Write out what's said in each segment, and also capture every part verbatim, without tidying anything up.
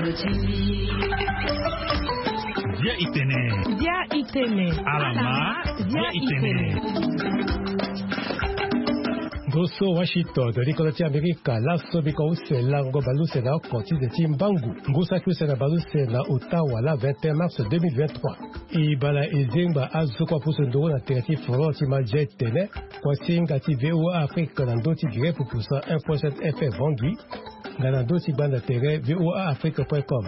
Bia itene. Bia itene. Alama. Bia itene. Ngoso Washington, likolo ti Amerika, laso biko use lango baluse na oko ti nze ti mbangu. Ngu saki use na baluse na ota wala vingt et un mars deux mille vingt-trois. E bala e zengba azo kua pusu nduru na tere ti forum ti Malzia tene, kuasinga ti VOA Afrique na ndö ti direct pupusa un point sept F M Bangui, nga na ndö ti gbanda tere VOA Afrique point com.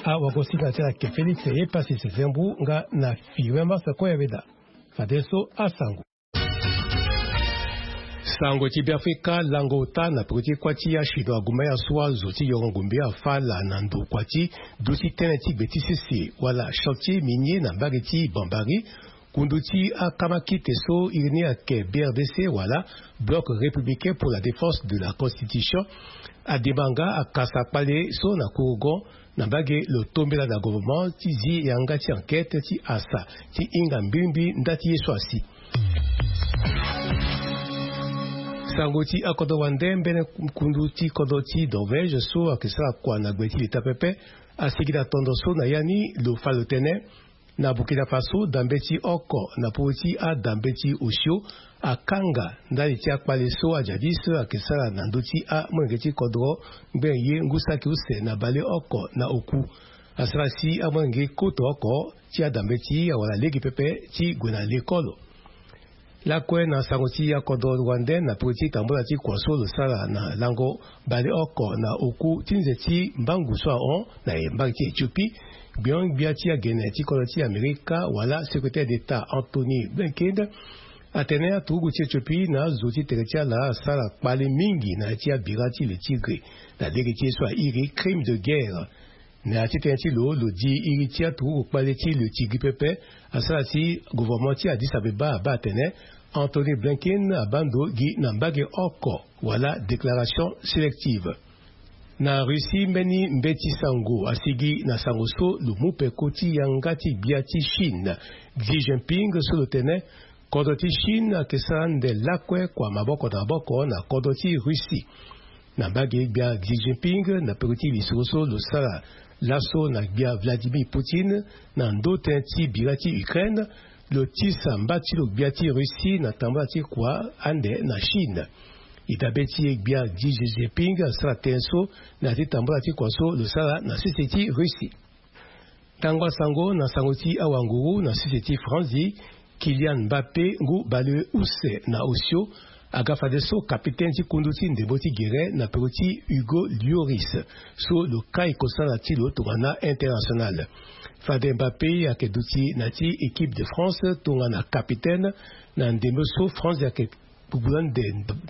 Awagosinga ti ala ke Félix Epassis Zembu nga na Firmin Massa Koyaveda. Fadeso asango. Sango ti Beafrika, lango ota na peko ti kuâ ti achinois aguma ya so azo ti yongo ngombe afâ laa na ndokua ti duti tënë ti gbe ti sese wala chantier minier na mbage ti Bambari. Kundu ti akamakite so iri ni ayeke B R D C wala Bloc Républicain pour la Défense de la Constitution ademanga akasa kpale so na kurugon na mbage lo tombela na gouvernement ti zi yanga ti enquête ti asa ti hinga mbirimbiri nda ti ye so asi. Sango ti akodro wande, mbeni kundu ti kodro ti Norvège so ayeke sara kua na gbe ti leta pepe asigi na tondo so na ya ni lo fa lo tene na Burkina Faso, dambe ti oko na popo ti adambe ti osio akanga ndali ti akpale so ajadis ayeke sara na ndö ti amolenge ti kodro ngbene ye ngu saki use na baleoko na oku. Asara si amolenge koto oko ti adambe ti awara lege pepe ti gue na lekolo. Lakue na sango ti akodro rwandais na peko ti tambula ti kua so lo sara na lango baleoko na oku ti nze ti mbangu so ahon na mbage ti Éthiopie, gbion-gbia ti agene ti kodro ti Amerika wala secrétaire d'État Anthony Blinken atene aturugu ti Éthiopie na azo ti tere ti ala asara kpale mingi na ya ti abira ti le Tigre na lege ti ye so airi crime de guerre. Na ya ti tënë ti lo, lo di iri ti aturugu kpale ti le Tigre pepe asara si gouvernement ti Addis Abeba abaa atene Anthony Blinken abaa ndo gi na mbage oko wala déclaration sélective. Na Russie, mbeni mbeti sango asigi na sango so lo mu peko ti yanga ti gbia ti Chine, Xi Jinping, so lo tene kodro ti Chine ayeke sara ande lakue kua maboko na maboko na kodro ti Russie. Na mbage gbia Xi Jinping na peko ti lisoro so lo sara laso na gbia Vladimir Poutine na ndö tënë ti bira ti Ukraine, lo tisa mba ti lo gbia ti Russie na tambula ti kua ande na Chine. E dabe ti e gbia Xi Jinping asara tënë so na ya ti tambula ti kua so lo sara na sese ti Russie. Tango asango na sango ti awanguru na sese ti Franzi, Kylian Mbappé ngu baleuse na osio aga fadeso kapitene ti kundu ti ndembo ti gere na peko ti Hugo Lloris so lo kai kosala ti lo tongana international. Fade Mbappé ayeke duti na ti équipe de France tongana kapitene na ndembo so France ayeke Bubu ande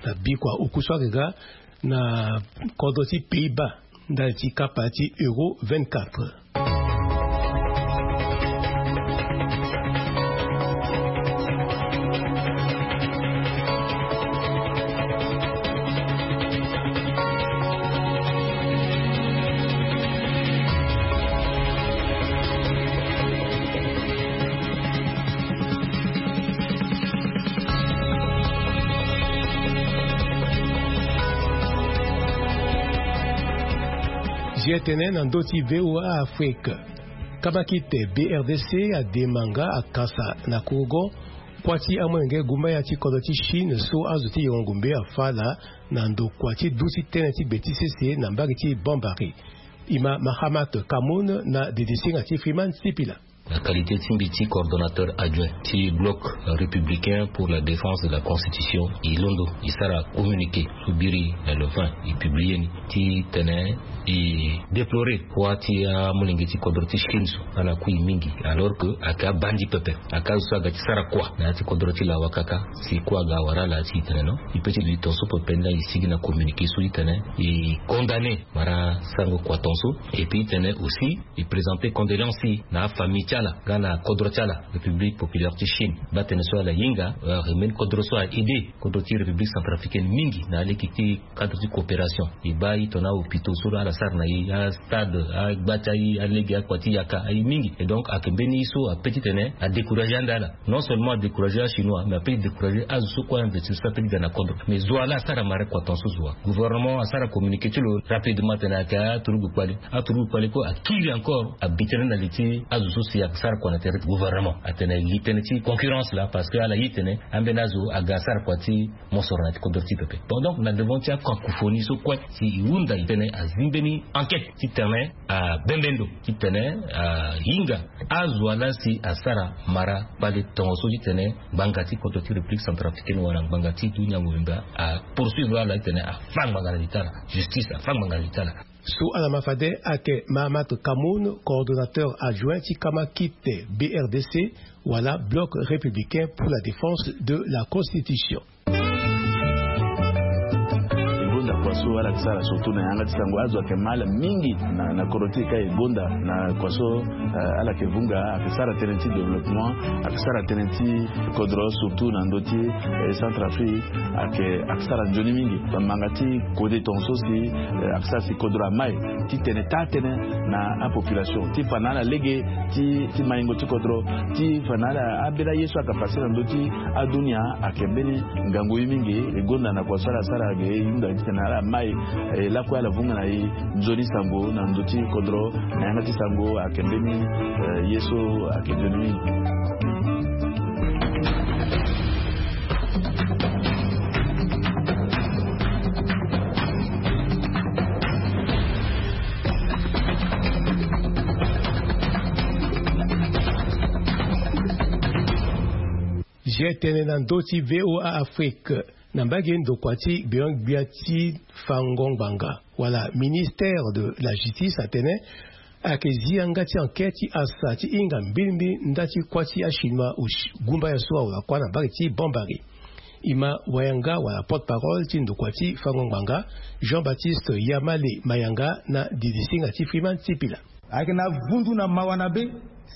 na bikua oku so ayeke ga na kodro ti Pays-Bas ndali ti kapa ti Euro vingt-quatre. Zi etene na ndö ti VOA Afrique. Kabakite B R D C ademanga akasa na kurugo kuâ ti amolenge gumbaya ti kodro ti Chine so azo ti yongo ngombe afâ laa na ndokua ti duti tënë ti gbe ti sese na mbage ti Bambari. Ima Mahamat Kamoun na dedesenga ti Freeman Sipila. Na qualité ti mbi ti coordonnateur adjoint ti Bloc Républicain pour la Défense de la Constitution, e londo e sara communiqué so biri na le vingt e publié ni ti tene e déplorer kuâ ti amolenge ti kodro ti Chine so ala kui mingi, alors que ayeke abandi pepe, ayeke azo so aga ti sara kuâ na ya ti kodro ti lawa kaka. Si kuâ aga awara ala ti e tene non, e peut ti duti tongaso pepe. Nda e sigi na communiqué so ti tene e condamné mara sarango kua tongaso, et puis e tene aussi e présenter condoléances na afamille ti Ala nga na kodro ti ala, République Populaire ti Chine, baa tene so ala hinga, euh, mbeni kodro so a aidé kodro ti République Centrafricaine mingi na aleke ti cadre ti coopération. E baa tongana ahôpitaux so ala sara na e, astade, agba ti aye, alege akua ti yaka aye mingi. Et donc ayeke mbeni ye so ape titene adécouragé ande ala. Non seulement adécouragé achinois, mais ape découragé azo so kue a investir so ape ti ga na kodro. Mais zo wa laa asara marin kua tongaso zo wa. Gouvernement asara communiqué ti lo rapidement tene ayeke aturugu kpale. Aturugu kpale kue akiri encore abi tënë na li ti azo so si ayeke sara kua na tere ti gouvernement. Atene li tënë ti concurrence laa, parce que ala ye tene ambeni azo aga asara kua ti mosoro na ti kodro ti pepe. Bon, donc na devant ti acacophonie so kue, si e hunda e tene azi mbeni enquête titene abembe ndo, titene ahinga azo wa laa si asara marin kpale tongaso titene ngbanga ti kodro ti République Centrafricaine wala ngbanga ti dunia mobimba apoursuivre ala titene afa ngbanga na li ti ala. Justice afa ngbanga na li ti ala. So ala ma fade ayeke Mahamat Kamoun, coordonnateur adjoint ti kama kite B R D C, wala Bloc Républicain pour la Défense de la Constitution. E gonda kua so ala yeke sara surtout na yanga ti sango, azo ayeke ma ala mingi na, na kodro ti e ka e gonda na kua so, eh, ala yeke vunga, ayeke sara tënë ti développement, ayeke sara tënë ti kodro surtout na ndö ti, eh, Centrafrique, ayeke, ayeke sara nzoni mingi. Bamanga ti kode tongaso si, eh, ayeke sara si kodro amai titene taa tënë na apopulation ti fa na ala lege ti, ti maingo ti kodro, ti fa na ala ambeni aye so ayeke pase na ndö ti adunia. Ayeke mbeni ngangu ye mingi. E gonda na kua so ala sara ge e hunda titene ala mai, eh, lakue ala vunga na e nzoni sango na ndö ti kodro. Na yanga ti sango ayeke mbeni, eh, ye so ayeke nzoni mingi. G T N na ndö ti V O A Afrique. Na mbage ndokua ti gbenyo-gbia ti fango ngbanga wala ministère de la justice atene ayeke zi yanga ti enquête ti asa ti hinga mbilimbili nda ti kuâ ti achinois, gumba ya so awara kuâ na mbage ti Bambari. E ma wayanga wala porte-parole ti ndokua ti fango ngbanga, Jean-Baptiste Yamale Mayanga, na didisinga ti Freeman Sipila. Ayeke na vundu na mawa na be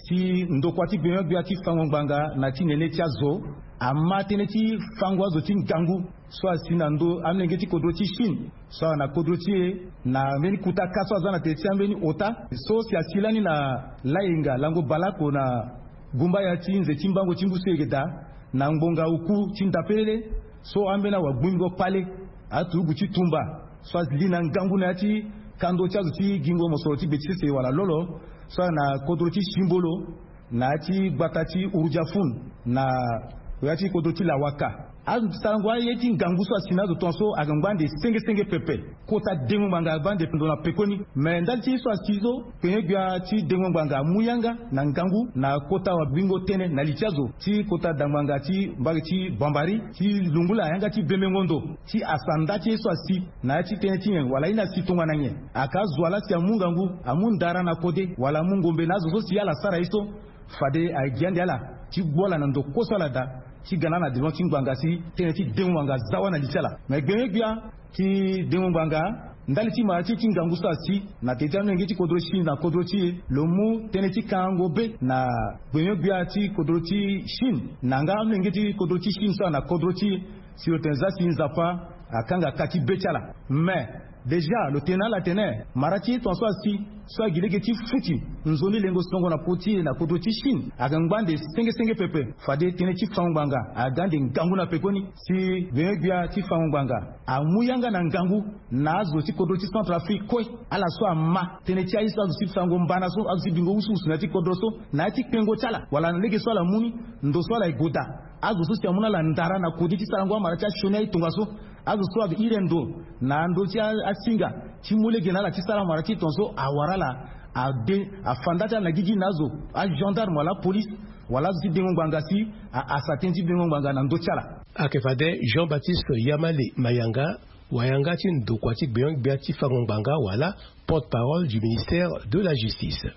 si ndokua ti gbenyo-gbia ti fango ngbanga na ti nene ti azo ama tënë ti fango azo ti ngangu so asi na ndö amolenge ti kodro ti Chine so ala na kodro ti e na mbeni kuta ka so aza na tene ti ambeni ota so si asi lani na layenga lango baleoko na gumbaya ti nze ti mbango ti ngu so e yeke daa na ngbonga oku ti ndapelele so ambeni awagbingo kpale aturugu ti tumba so ali na ngangu na ya ti kando ti azo ti gingo mosoro ti be ti sese wala lolo so ala na kodro ti Simbolo na ya ti gbata ti Urudiafun na ya ti kodro ti Lawaka. Azo ti sarango aye ti ngangu so asi na azo tongaso ayeke ngba ande senge senge pepe. Kota dengo ngbanga agba ande ndo na pekoni. Me ndali ti ye so asi so, kpengbe-gbia ti dengo ngbanga amu yanga na ngangu na kota wabingo tënë na li ti azo ti kota dangbanga ti mbage ti Bambari ti lungula yanga ti bembengo ndo ti asa nda ti ye so asi na ya ti tënë ti nyen wala ye ni asi tongana nyen. Aka azo wa laa si amu ngangu, amu ndara na kode wala amu ngombe na azo so si ala sara ye so. Fade ayeke gi ande ala ti gbu ala na ndo kue so ala daa ti ga na ala na devant ti ngbanga si tënë ti dengo ngbanga aza wâ na li ti ala. Me gbenyo-gbia ti dengo ngbanga ndali ti mara ti ye ti ngangu so asi na tene ti amolenge ti kodro Chine na kodro ti e lo mu tënë ti kangango be na gbenyo-gbia ti kodro ti Chine na nga amolenge ti kodro ti Chine so ala na kodro ti e. Si lo tene za si Nzapa akanga ka ti be ti ala. Me déjà lo tene na ala atene mara ti ye tongaso asi so agi lege ti futi nzoni lengo songo na popo ti e na kodro ti Chine ayeke ngba ande senge senge pepe. Fade tënë ti fango ngbanga aga ande ngangu na pekoni si gbenyo-gbia ti fango ngbanga amu yanga na ngangu na azo ti kodro ti Centrafrique kue. Ala so ama tënë ti aye so azo ti fango mbana so azo ti bingo wusuwusu na ya ti kodro so na ya ti kpengo ti ala wala na lege so ala mu ni ndo so ala ye goda. Azo so si amu na ala ndara na kode ti sarango amara ti asioni aye tongaso. Azo so ayeke iri ndo na ndö ti a- asinga ti mu lege na ala ti sara amara ti e tongaso awara ala ade afa nda ti ala na gigi na azo agendarme wala apolice wala azo ti dengo ngbanga si a- asa tënë ti dengo ngbanga na ndö ti ala. Ayeke fade Jean-Baptiste Yamale Mayanga Wayanga ti ndokua ti gbenyo-gbia ti fango ngbanga wala porte-parole du ministère de la justice.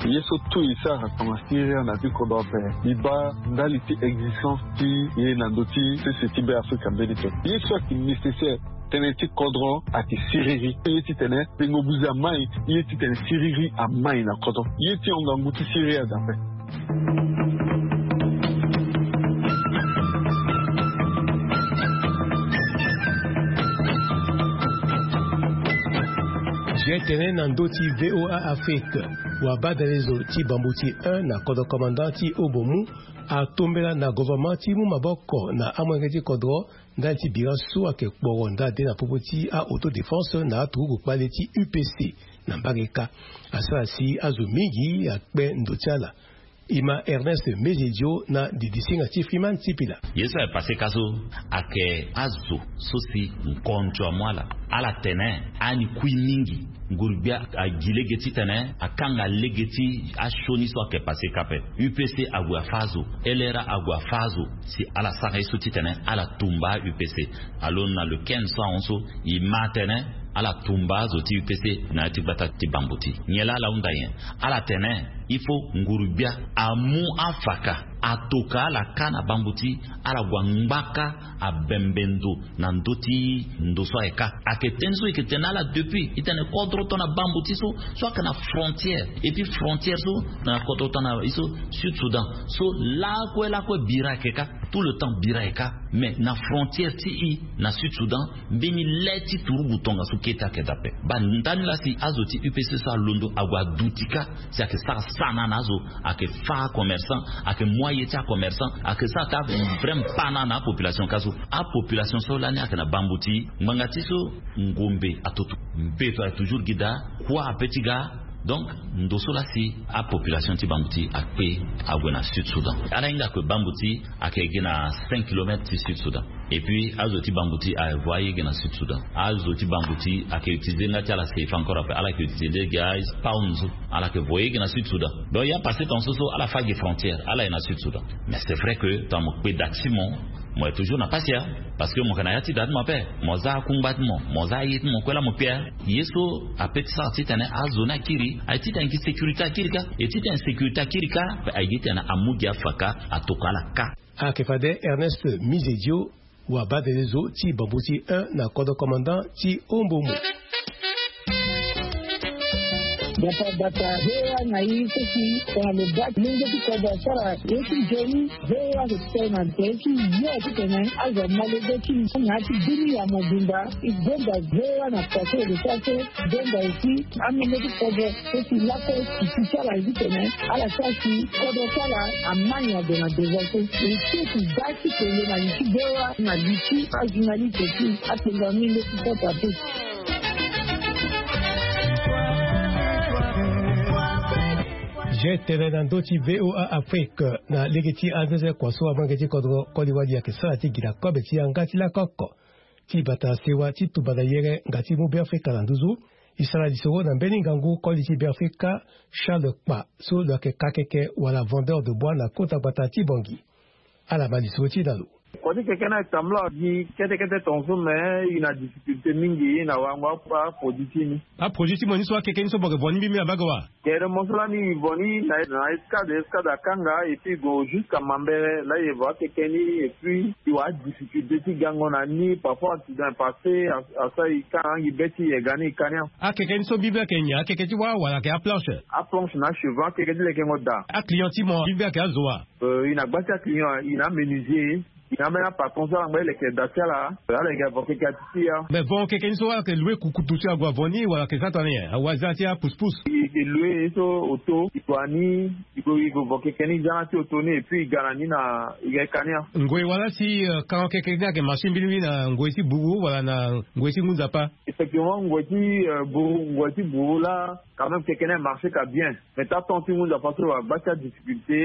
Ye so tout e sara tongana siriri na ti kodro ape, e baa ndali ti existence ti ye na ndö ti sese ti Be Afrika mbeni to. Ye so ayeke nécessaire, tënë ti kodro ayeke siriri. Ye titene tengo buze amai, ye titene siriri amai na kodro. Ye ti hon ngangu ti siriri aza ape. Gtene na ndö ti VOA Afrique, wabadalezo ti bambuti un na kodro commandant ti Obomu atombela na gouvernement ti mu maboko na amolenge ti kodro ndali ti bira so ayeke kporo nda de na popo ti a-autodéfense na aturugu kpale ti U P C. Na mbage ka, asara si azo mingi akpe ndo ti ala. E ma Ernest Mezedio na didisinga ti Freeman Sipila. Ye so ayeke pase ka so ayeke azo so si nkonzo amu ala. Ala tene ani kui mingi. Nguru-gbia agi lege titene akanga lege ti asioni so ayeke pase ka ape. U P C ague afâ azo, L R A ague afâ azo si ala sara ye so titene ala tumba U P C. Alo na le quinze so ahon so, e ma atene ala tumba azo ti U P C na ya ti gbata ti bambuti. Nyen laa ala hunda nyen? Ala tene il faut nguru-gbia amu afaka, atoka ala ka na bambuti, ala gue angbaka abembe ndo na ndö ti ndo so ayeke ka. Ayeke tënë so e yeke tene na ala depuis, e tene kodro tongana bambuti so, so ayeke na frontière, et puis frontière so na kodro tongana e so Sud Soudan. So lakue lakue bira ayeke ka, tout le temps bira ayeke ka. Mais na frontière ti e na Sud Soudan, mbeni le ti turugu tongaso kete ayeke daa ape. Baa ndani laa si azo ti U P C so alondo ague aduti ka, si ayeke sara sana na azo, ayeke fâ acommerçant, ayeke mu aye ti acommerçant, ayeke sara taa vrai mpana na apopulation ka so. Apopulation so lani ayeke na bambuti, ngbanga ti so ngombe atoto, mbeto ayeke toujours gi daa, kua ape ti ga. Donc ndo so laa si apopulation ti bambuti akpe ague na Sud Soudan. Ala hinga ke bambuti ayeke gi na cinq kilomètres ti Sud Soudan. Et puis azo ti bambuti avo aye gi na Sud Soudan. Azo ti bambuti ayeke utiliser nga ti ala seifa encore ape, ala yeke utiliser gi apounds. Ala yeke voye gi na Sud Soudan. Donc ya passé tongaso so ala fâ gi frontière, ala ye na Sud Soudan. Mais c'est vrai que tongana mo kpe da ti mo, mo yeke toujours na pasi ya. Parce que mo yeke na ya ti da ti mo ape, mo za akungba ti mo, mo za aye ti mo kue laa mo kpe ya. Ye so ape ti sara titene azo ni akiri, aye titene gi sécurité akiri ka. E titene sécurité akiri ka, aye gi titene amu gi afaka, atoka ala ka. Ayeke fade Ernest Mizedio, wabadelezo ti bambuti un na kodro commandant ti Ombomo. Gbata gbata, V O A na e so si tongana lo baa molenge ti kodro asara ye ti nzoni, V O A ayeke tene na tere ti yo titene azo amalege ti na ya ti bini ya mobimba. E gonda V O A na kua so e lo sara so, e gonda aussi amolenge ti kodro so si lakue sisi ti ala e titene ala sara si kodro ti ala amani ade na devant so. E so si baa ti kele na li ti V O A na li ti ajournaliste ti apengo amolenge ti kodro ape. Gtene na ndö ti V O A Afrique, na lege ti anzenze kua so amolenge ti kodro koli wali ayeke sara ti gi na kobe ti yanga ti lakoko. Ti bata sewa ti tumba na yere nga ti mu Beafrika na nduzu. E sara lisoro na mbeni ngangu koli ti Beafrika, Charles Kpa, so lo yeke kakeke wala vendeur de bois na kota gbata ti Bangui. Ala ma lisoro ti e na lo. Kua ti keke ni ayeke tambula gi kete kete tongaso, me e na difficulté mingi na wango aproduit ti ni. Aproduit ti mo ni so akeke ni so mo yeke vo ni mbimbi na mbage wa? Kere mo so lani e vo ni na escade, escade akanga, et puis e gue jusqu'à Mambere, la e vo akeke ni, et puis e wara adifficulté ti gango na ni. Parfois accident e passé, asara e ka na angi be ti e ga ni e ka ni. Akeke ni so mbimbi ayeke nyen? Akeke ti wâ wala ayeke aplanche? Aplanche na achevant, akeke ti lekengo daa. Aclient ti mo mbimbi ayeke azo wa? Euh, e na gba ti aclient, e na amenuisier, e na ambeni apatron so ala ngba e leke da ti ala. Ala yeke avo keke ati ti ya. Mais vo keke ni so ayeke loue kukutu ti ague avo ni wala ayeke za tongana nyen? Awe aza ti apouspousse. E yeke loue ye so auto, e gue na ni, e gue, e gue vo keke ni, e za na ya ti auto ni, et puis e ga na ni na, e ga e ka ni ya. Ngoi wala si, euh, kan keke ni ayeke marché mbirimbiri na ngoi ti buru wala na ngoi ti ngu nzapa? Effectivement, ngoi ti, euh, buru, ngoi ti buru la, quand même keke ni e marché ka bien. Mais ta temps ti ngu nzapa so e wara gba ti adifficulté,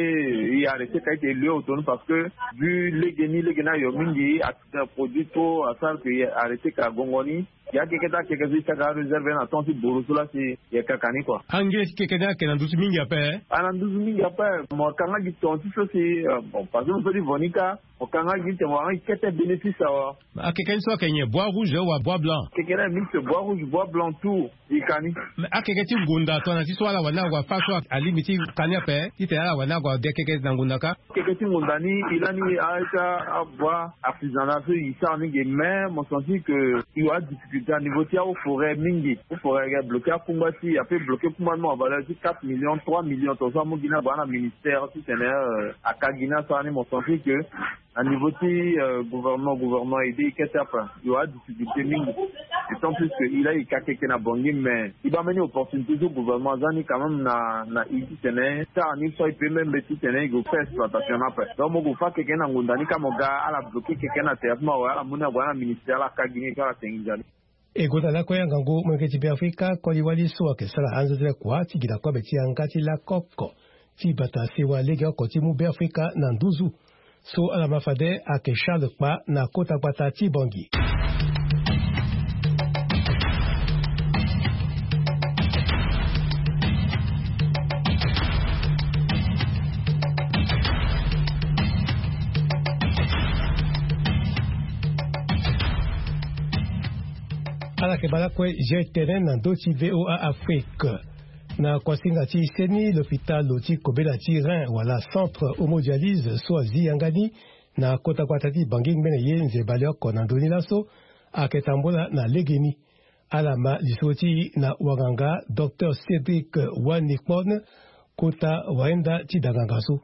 e arrêté ka e yeke loue auto ni parce que vu lege ni, lege ni ayo mingi, accident produit trop, asara que e arrêté ka gongo ni. Ya keke ti akeke so e saka aréserve na temps ti boro so laa si e kaka ni kua. Ange ti keke ni ayeke na nduzu mingi ape? Ana nduzu mingi ape. Mo kanga gi ton ti so si, bon, parce que mo so ti vo ni kâ. Mo kanga gi te mo wara gi kete bénéfice awa. Akeke ni so ayeke nyen, bois rouge wa bois blanc? Keke ni mix, bois rouge, bois blanc, tout. E ka ni. Akeke ti ngunda tongana ti so ala wani ague afa so alingbi ti ka ni ape titene ala wani ague ade keke na ngunda kâ? Keke ti ngunda ni e lani a ita, abois artisanal so e sara ni ge, mais mo sentir que e wa difficulté na niveau ti ahaut forêt mingi. Haut forêt ayeke bloqué akungba ti, ape bloqué kungba ti mo na valeur ti quatre millions, trois millions, tongaso amu gi ni ague na ministère titene aka gi ni asara ni. Mo sentir que na niveau ti gouvernement, gouvernement aidé e kete ape. E wa difficulté mingi. D'autant plus que e laa e ka keke na Bangui, mais e baa mbeni opportunité so gouvernement aza ni quand même na na e titene sara ni so e peut même titene e gue fait exploitation ni ape. Donc mo gue fa keke ni na ngunda ni kâ, mo ga ala bloqué keke ni na tere ti mo awe, ala mu ni ague na ministère, ala ka gi ni kâ, ala tengi nzoni. E gonda lakue angangu molenge ti Beafrika koli wali so ayeke sara anzenze kua ti gi na kobe ti yanga ti lakoko ti bata sewa legeoko ti mu Beafrika na nduzu. So ala ma fade ayeke Charles Kpa na kota gbata ti Bangui. Ala yeke baa lakue G T N na ndö ti V O A Afrique. Na kuasinga ti seni, lopitalo ti kobela ti rein wala centre homodialyse so azi yanga ni na kota gbata ti Bangui ngbene ye nzeba leoko na ndö ni laso ayeke tambula na legeni. Ala ma lisoro ti e na wanganga Docteur Cédric Wanikpon, kota wainda ti danganga so.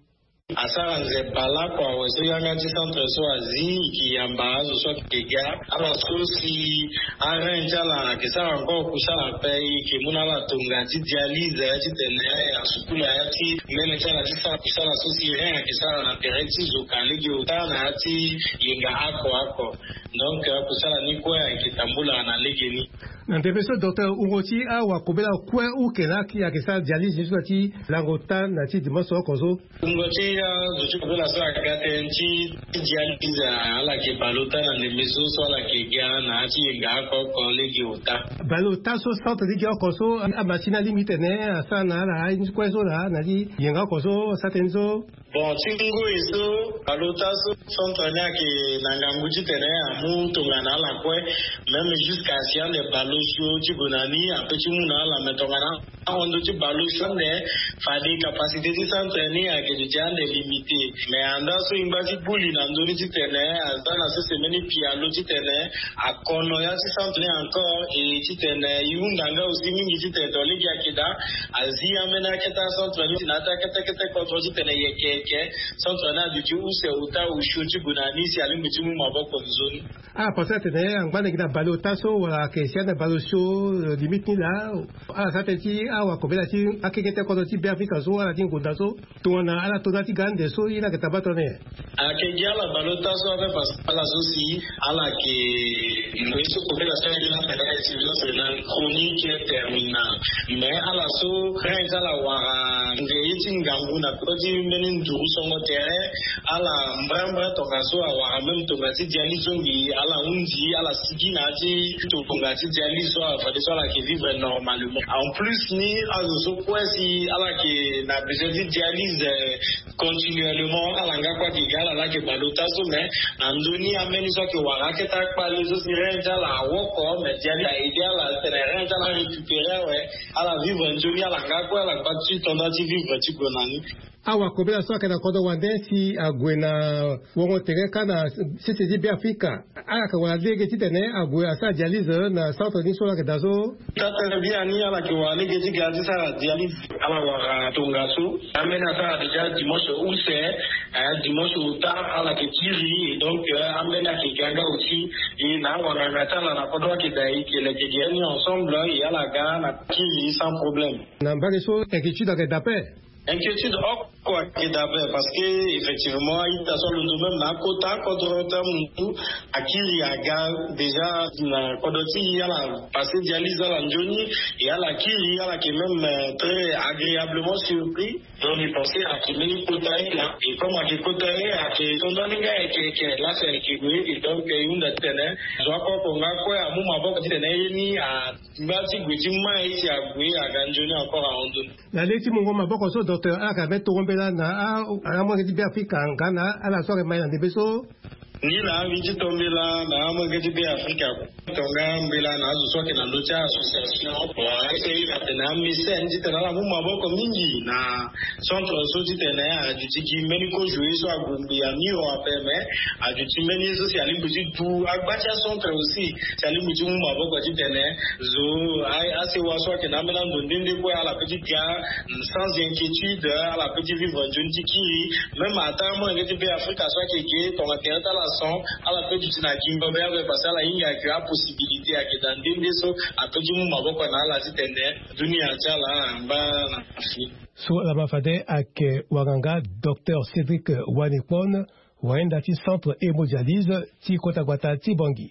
Asara nzeba lakue awe so yanga ti centre so azi, e ke yamba azo so ayeke ga. Ala so si arein ti ala ayeke sara encore kusala ape, e ke mu na ala tonga ti dialyse titene asukula ya ti mbeni ti ala ti sara kusala so si rein ayeke sara na tere ti zo ka lege ota na ya ti yenga oko oko. Donc kusala ni kue ayeke tambula na legeni. Na ndembe so docteur, wungo ti awakobela kue uke laa ayeke sara dialyse ni so na ti lango ota na ti dimanche oko so. Wungo ti azo ti kobela so aga tënë ti dialyse, ala yeke bale ota na ndembe so so ala yeke ga na ya ti yenga oko oko lege ota. Bale ota so centre lege oko so, amasini alingbi titene asara na ala aye ni kue so laa na ti yenga oko so asara tënë ni so. Bon, ti ngoi so bale ota so centre ni ayeke na ngangu titene amu tongana ala kue, même jusqu'à si ande bale osio ti gue na ni ape ti mu na ala, mais tongana ahon ndö ti bale osio ande, fade capacité ti centre ni ayeke duti ande limité. Mais anda so e ngba ti buli na ndö ni titene aza na sese mbeni pialo titene akono ya ti centre ni encore, e titene e hunda nga aussi mingi titene to lege ayeke daa azi ambeni akete acentre ni na ya ti akete kete kodro titene e yeke yeke centre ni aduti use ota osio ti gue na ni si alingbi ti mu maboko nzoni. Ala pense atene angba na gi na bale ota so wala ayeke si ande bale osio, limite ni laa. Ala sara tënë ti awakobela ti akekete kodro ti Beafrika so, ala ti ngonda so. Tongana ala to na ya ti ga ande so, ye ni ayeke tamba tongana nyen? Ayeke gi ala bale ota so ape parce que ala so si ala yeke, ye so kobela so ayeke na surveillance rénale chronique terminale. Mais ala so rein ti ala wara nge ye ti ngangu na kota ti mbeni nduru songo tere, ala mbrembre tongaso awara même tonga ti dialyse so ngi ala hundi, ala sigi na ya ti tonga ti dialyse so, fade so ala yeke vivre normalement. En plus ni azo so kue si ala yeke na besoin ti dialyse continuellement, ala nga kue ayeke ga, ala laa ayeke bale ota so, mais na ndö ni ambeni so ayeke wara akete akpale so si rein ti ala awoko, mais dialyse a aidé ala titene rein ti ala arécupéré awe, ala vivre nzoni, ala nga kue ala gba ti tendance ti vivre ti gue na ni. Awakobela so ayeke na kodro wande si ague na wongo tere kâ na sese ti Beafrika, ala yeke wara lege titene ague asara dialyse na centre ni so ala yeke daa so? Taa tënë biani, ala yeke wara lege ti ga ti sara dialyse. Ala wara tongaso. Ambeni asara déjà dimanche use, eh, dimanche ota ala yeke kiri, et donc, eh, ambeni ayeke ga nga aussi. E na awanganga ti ala na kodro ayeke daa, e yeke leke gi ni ensemble, e ala ga na kiri sans problème. Na mbage so inquiétude ayeke daa ape? Inquiétude oko. Kua ke dabe parce que effectivement aita so alondo même na akota kodro te mutu akiri aga déjà na kodro ti ala. Passé dialyse ala nzoni et ala kiri ala ke même très agréablement surpris. Donc ni pensé ake mbeni kota ye la et comme ake kota ye ake tonda ni nga eke eke lasa eke gue et donc e hunda titene zo akoko nga kue amu maboko titene ye ni a ngba ti gue ti mai si ague aga nzoni encore ahon nzoni. Na le ti mungo maboko so docteur ala ka me toro mbela na amolenge ti be afrika nga na ala so ake mai na ndembe so. Ni na avi ti tombela na amolenge ti be afrika. Tonga mbela na azo so ake na ndo ti association. Bon ake ira tena amesen titena ala mu maboko mingi na centre so titene aduti gi mbeni ko joue so agumbi ami o ape me aduti mbeni ye so si alingbi ti du agba ti acentre aussi si alingbi ti mu maboko titene zo asewa so ake na ambeni ando nde nde kue ala pe ti ga sans inquiétude ala pe ti vivre nzoni ti kiri. Même ata amolenge ti be afrika so ake ge tonga tere ti ala son ala pe duti na gingo be ape parce que ala hinga ake apossibilité ake da nde nde so ape ti mu maboko na ala titene dunia ti ala angba na fini. So ala ma fade ake wanganga docteur cédric wanikpon wayenda ti centre hémodialyse ti kota gbata ti bangi.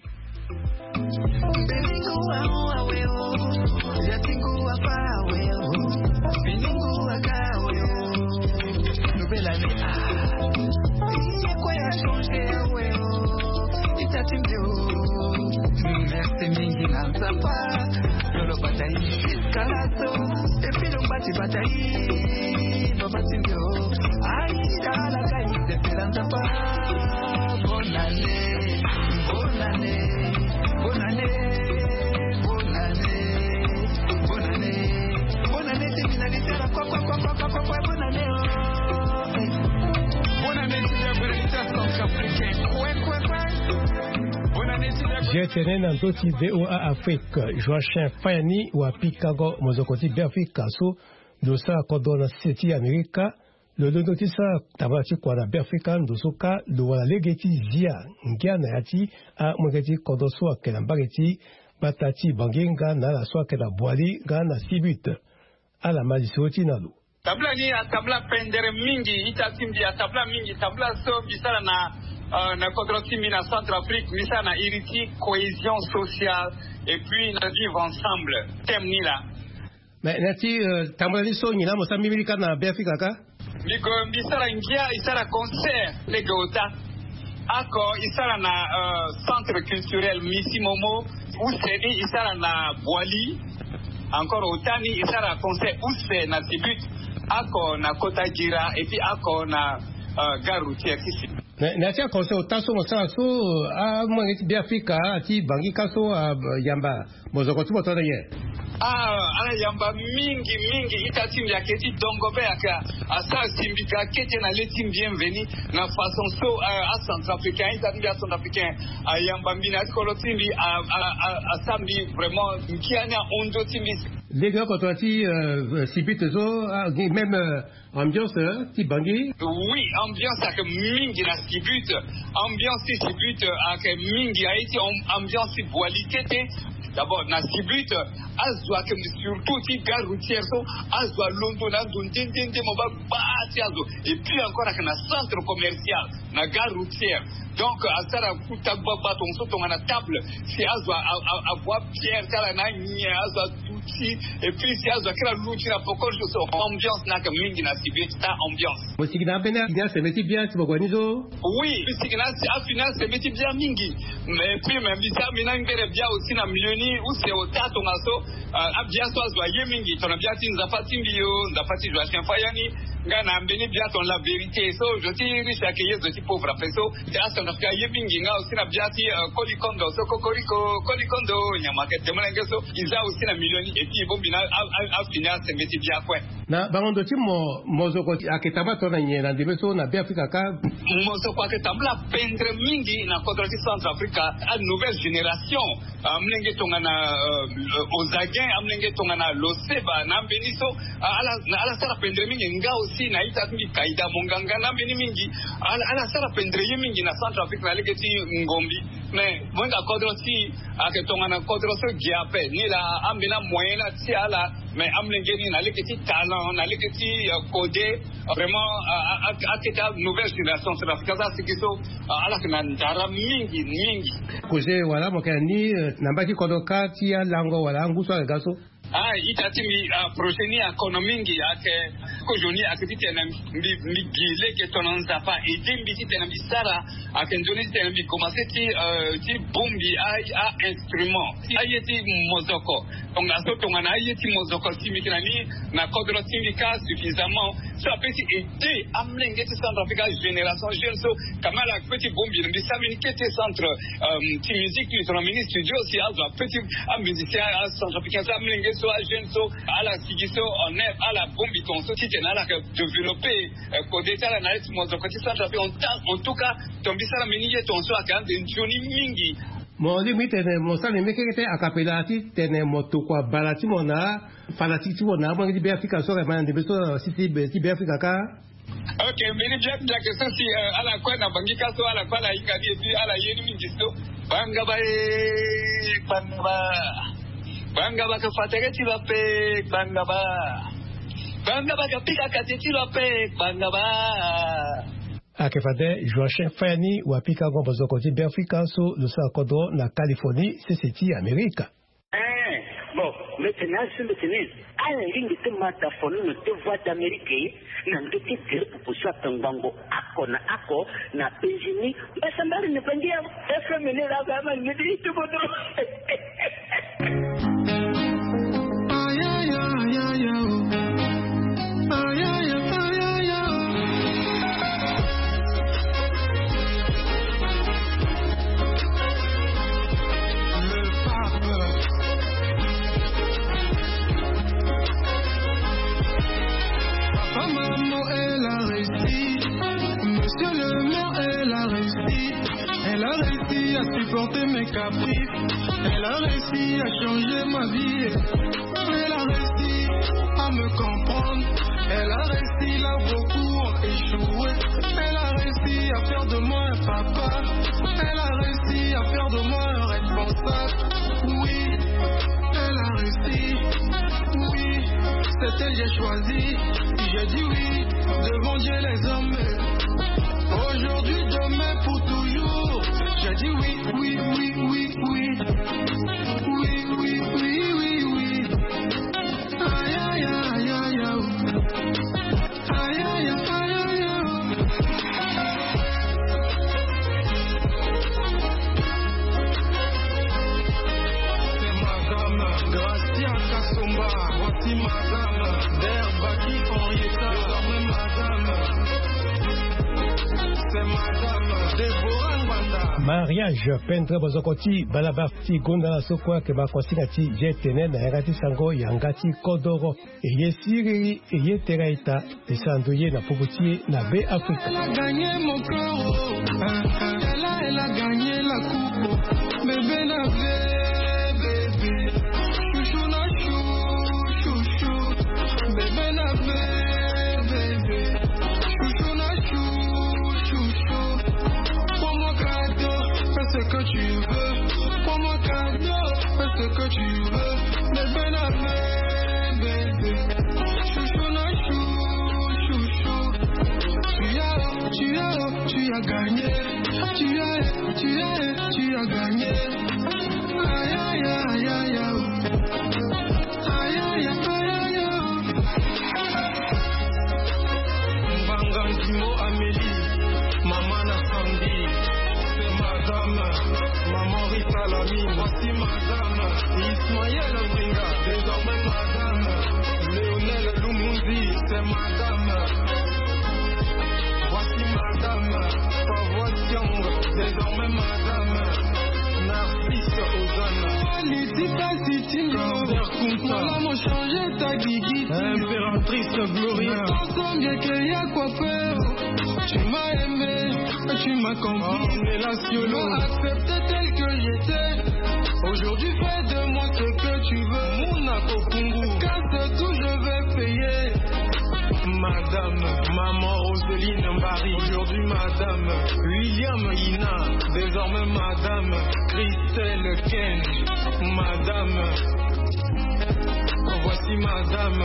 Merci mingi na nzapa lolo bata ye kalato epi lo mbati bata ye babati nde o aida ala kai nzepela nzapa. Bonne année, bonne année, bonne année, bonne année, bonne année, bonne année. Ti mina litera kwa kwa kwa kwa kwa kwa bonne année o. Bonne année ti le bonne année ti centrafricain. Kue kue kue. Bonne année ti le. Jetene na ndo ti VOA Afrique. Joachin Fayani wa pikango mozoko ti Beafrika so lo sara kodro na sese ti Amerika. Lo londo ti sara tambala ti kua na Beafrika ndo so kâ lo wara lege ti zia ngia na ya ti amolenge ti kodro so ayeke na mbage ti gbata ti Bangui nga na ala so ayeke na Boali nga na Sibut. Ala ma lisoro ti na lo. Tambula ni atambula pendere mingi ita ti mbi atambula mingi tambula so mbi sara na euh, na kodro ti mbi na Centrafrique mbi sara na iri ti cohésion sociale et puis na vivre ensemble. Thème ni laa. Mais na ti euh, tambula ni so nyen laa mo sara mbimbi ni kâ na Beafrika kâ? Mbi gue mbi sara ngia e sara concert lege ota. Oko e sara na euh, centre culturel Misi Momo. Use ni e sara na Boali. Encore ota ni e sara concert use na Sibut. Oko na kota Gira et puis oko na euh, gare routière ti Sibut. Na ya ti aconseil ota so mo sara so amolenge ti Beafrika ti Bangui kâ so ayamba mozoko ti mo tongana nyen? Ah, ala yamba mingi mingi ita ti mbi ayeke ti dongo be ayeke asara si mbi ga kete na le ti mbi bienvenu na façon so acentrafricain ita ti mbi acentrafricain ayamba mbi na ya ti kolo ti mbi asara mbi vraiment ngia ni ahon nzo ti mbi. Lege oko tongana ti sibite so même ambiance ti Bangui. Oui, ambiance ayeke mingi na Sibut. Ambiance ti Sibut ayeke mingi aye ti ambiance ti Boali kete. D'abord na Sibut azo ayeke surtout ti gare routière so azo alondo na ando nde nde nde mo baa gbaa ti azo. Et puis encore ayeke na centre commercial na gare routière. Donc asara kuta gbagba tonga so tongana table si azo avoa pierre ti ala na anyen azo aduti. Et puis si azo akiri aluti na poko jour so ambiance ni ayeke mingi na Sibut ti ta ambiance. Mo sigi na ambeni afini asembe ti bia ti mo gue ni so? Oui mbi sigi na afini asembe ti bia mingi. Et puis me mbi si ambi na ngbere bia aussi na milieu ni use ota tonga so. Abia so azo aye mingi tongana bia ti nzapa ti mbi o nzapa ti joachim faya ni. Nga na mbeni bia ton la vérité so zo ti riche ayeke ye zo ti pauvre ape so. Acentrafrique aye mingi nga aussi na bia ti kolikondo so kokoriko kolikondo nyama ayeke te molenge so. E za aussi na milieu ni et puis e bongbi na afini asembe ti bia kue. Na bango ndo ti mo mozoko ayeke tambula tongana nyen na ndembe so na beafrika kâ? Mozoko ayeke tambula pendre mingi na kodro ti centrafrique. Anouvelle génération amolenge tongana ozaguin amolenge tongana loseba na ambeni so. Ala sara pendre mingi nga. Si na ita ti mbi kaida monganga na mbeni mingi. Ala ala sara pendere ye mingi na Centrafrique na lege ti ngombi. Mais mo hinga kodro si ayeke tongana kodro so gi ape ni laa. Ambeni amoyen ni atia ala. Mais amolenge ni na lege ti talent na lege ti kode vraiment akete anouvelle génération centrafricaine so asigi so ala yeke na ndara mingi mingi. Koze wala mo yeke na ni na mbage ti kodro kâ ti alango wala angu so ayeke ga so? Ah ita ti mbi projet ni akono mingi ayeke. Kozo ni ayeke titene mbi mbi gi lege tongana nzapa aide mbi titene mbi sara. Ayeke nzoni titene mbi komanse ti ti bongbi a instrument ti aye ti mozoko. Tongana so tongana aye ti mozoko si mbi yeke na ni na kodro ti mbi kâ suffisamment so ape ti aide amolenge ti Centrafrique agénération jeune so. Kamala ape ti bongbi na mbi sara mbi ni kete centre ti musique ti mbi tongana mbi ni studio si azo ape ti amusicien acentrafricain so amolenge so ajeune so ala sigi so en air ala bongbi tongaso titene ala yeke développer kode ti ala na ya ti mozoko ti Centrafrique. En tout cas tongana mbi sara mbi ni ye tongaso ayeke ande nzoni mingi. Mo lingbi ti tene mo sara mbi mekeke ti akapela titene mo tokua bala ti mo na afanatike ti mo na amolenge ti Beafrika so ayeke ma na ndembe so na si ti Beafrika kâ. Ok, mbeni biak biak so si ala kue na bangi ka so ala kue ala hinga ni epi ala ye ni mingi so. Bangaba e, bangaba. Bangaba ka fatere ti lo ape, bangaba. Bangaba ka pika kate ti lo ape, bangaba. Ayeke fade Joachim Fayani wapika ngongo mozoko ti Beafrika so lo sara kodro na Californie sese ti Amerika. Ee, bon, mbi tene azo mbi tene ala lingbi ti ma dafono na deux voix d'Amérique na ndö ti gere pupu so ayeke ngbongo oko na oko na penzi ni. Mbasambari na bangi ya F M ni laa ba ma ngedi ti bodo. Papa, maman, elle a réussi. Monsieur le maire, elle a réussi. Elle a réussi à supporter mes caprices. Elle a réussi à changer ma vie. Elle a réussi à me comprendre. Elle a réussi là où beaucoup ont échoué. Elle a réussi à faire de moi un papa. Elle a réussi à faire de moi un responsable. Oui, elle a réussi. Oui, c'est elle que j'ai choisi. J'ai dit oui devant Dieu, les hommes. Aujourd'hui, demain, pour toujours. J'ai dit oui, oui, oui, oui, oui. Oui, oui, oui, oui, oui. Aïe, aïe, aïe, aïe, aïe. Aïe, aïe, aïe, aïe, aïe, aïe. C'est madame Gracia Kassomba. Voici madame Berbaki Henrietta. Désormais madame. C'est madame Déborah Ngbanda. Mariage pendre bozoko ti balabala ti gonda na so kue ayeke ma konsinga ti je tene na yanga ti sango yanga ti kodoro. Eye siriri, eye tera ita, e sara ndo ye na popo ti e na Be Afrika. Elle a gagné mon cœur, oh. Hein, hein. Elle a, elle a gagné la coupe, oh. Bébé na bébé, bébé. Chouchou na chou, chouchou. Bébé na bébé, bébé. Chouchou na chou, chouchou. Prends-moi cadeau, fais ce que tu veux. Prends-moi cadeau, fais ce que tu veux. Bébé na bébé, bébé. Chouchou na chou, chouchou. Tu as, tu as, tu as gagné. Tu as, tu as, tu as gagné. Aïe, aïe, aïe, aïe, aïe. Aïe, aïe, aïe, aïe, aïe. Mbanga Ndimo Amélie, maman na Sandy, c'est madame, maman Rita Lamy, voici madame, Ismaël Mbenga, désormais madame, Lionel Lumundi, c'est madame, voici madame, Favois Siongo, désormais madame, Narcisse Ozana. Aliti pasi ti lo. Kunta. Malamu changer ta gigi ti lo. Impératrice Gloria. Ensemble que ya coiffeur. Tu m'as aimé, tu m'as compris. Ornella Siolo. Tu m'as accepté tel que j'étais. Aujourd'hui, fais de moi ce que tu veux. Muna Kokungu. Casse tout, je vais payer. Madame, maman Roseline Mbari, aujourd'hui madame William Ina, désormais madame Christelle Ken, madame, voici madame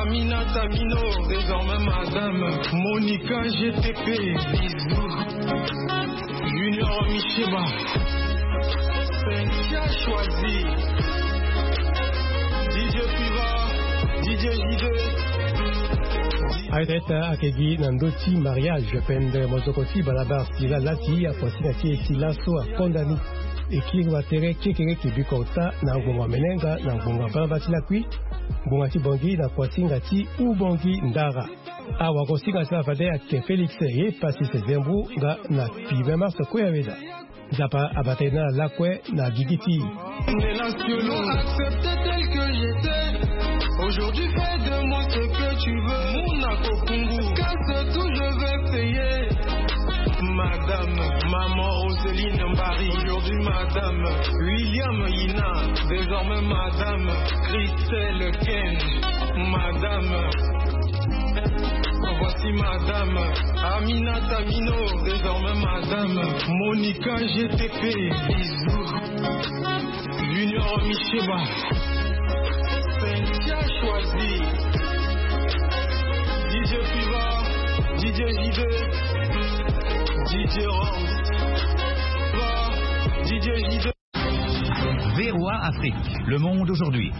Aminata Mino, désormais madame Monica G T P, bisous. Junior Michema, Cynthia Choisi, D J Piva, D J J D. Aye taa ayeke gi na ndö ti mariage pendere mozoko ti balabala sila lati akuasinga ti e ti laso akonda ni. E kiri watere kekereke bikota na ngbonga menenga na ngbonga balabala ti lakui, ngbonga ti bongi na kuasinga ti ubongi ndara. Awagosinga ti la fade ayeke Félix ye Pasis Zembu nga na Pive Mars Kue Aweda. Nzapa abata ye na lakue na gigi ti. Accepter tel que j'étais. Aujourd'hui fais de moi ce que tu veux. Mon akokungu. Casse tout, je vais payer. Madame, maman Roseline Mbari. Aujourd'hui madame William Ina, désormais madame Christelle Ken, madame, voici madame Aminata Mino, désormais madame Monica G T P, bisous. Junior Michema, Cynthia Choisi, D J Piva, D J J D, D J Rams, D J J D. V O A Afrique, le monde aujourd'hui.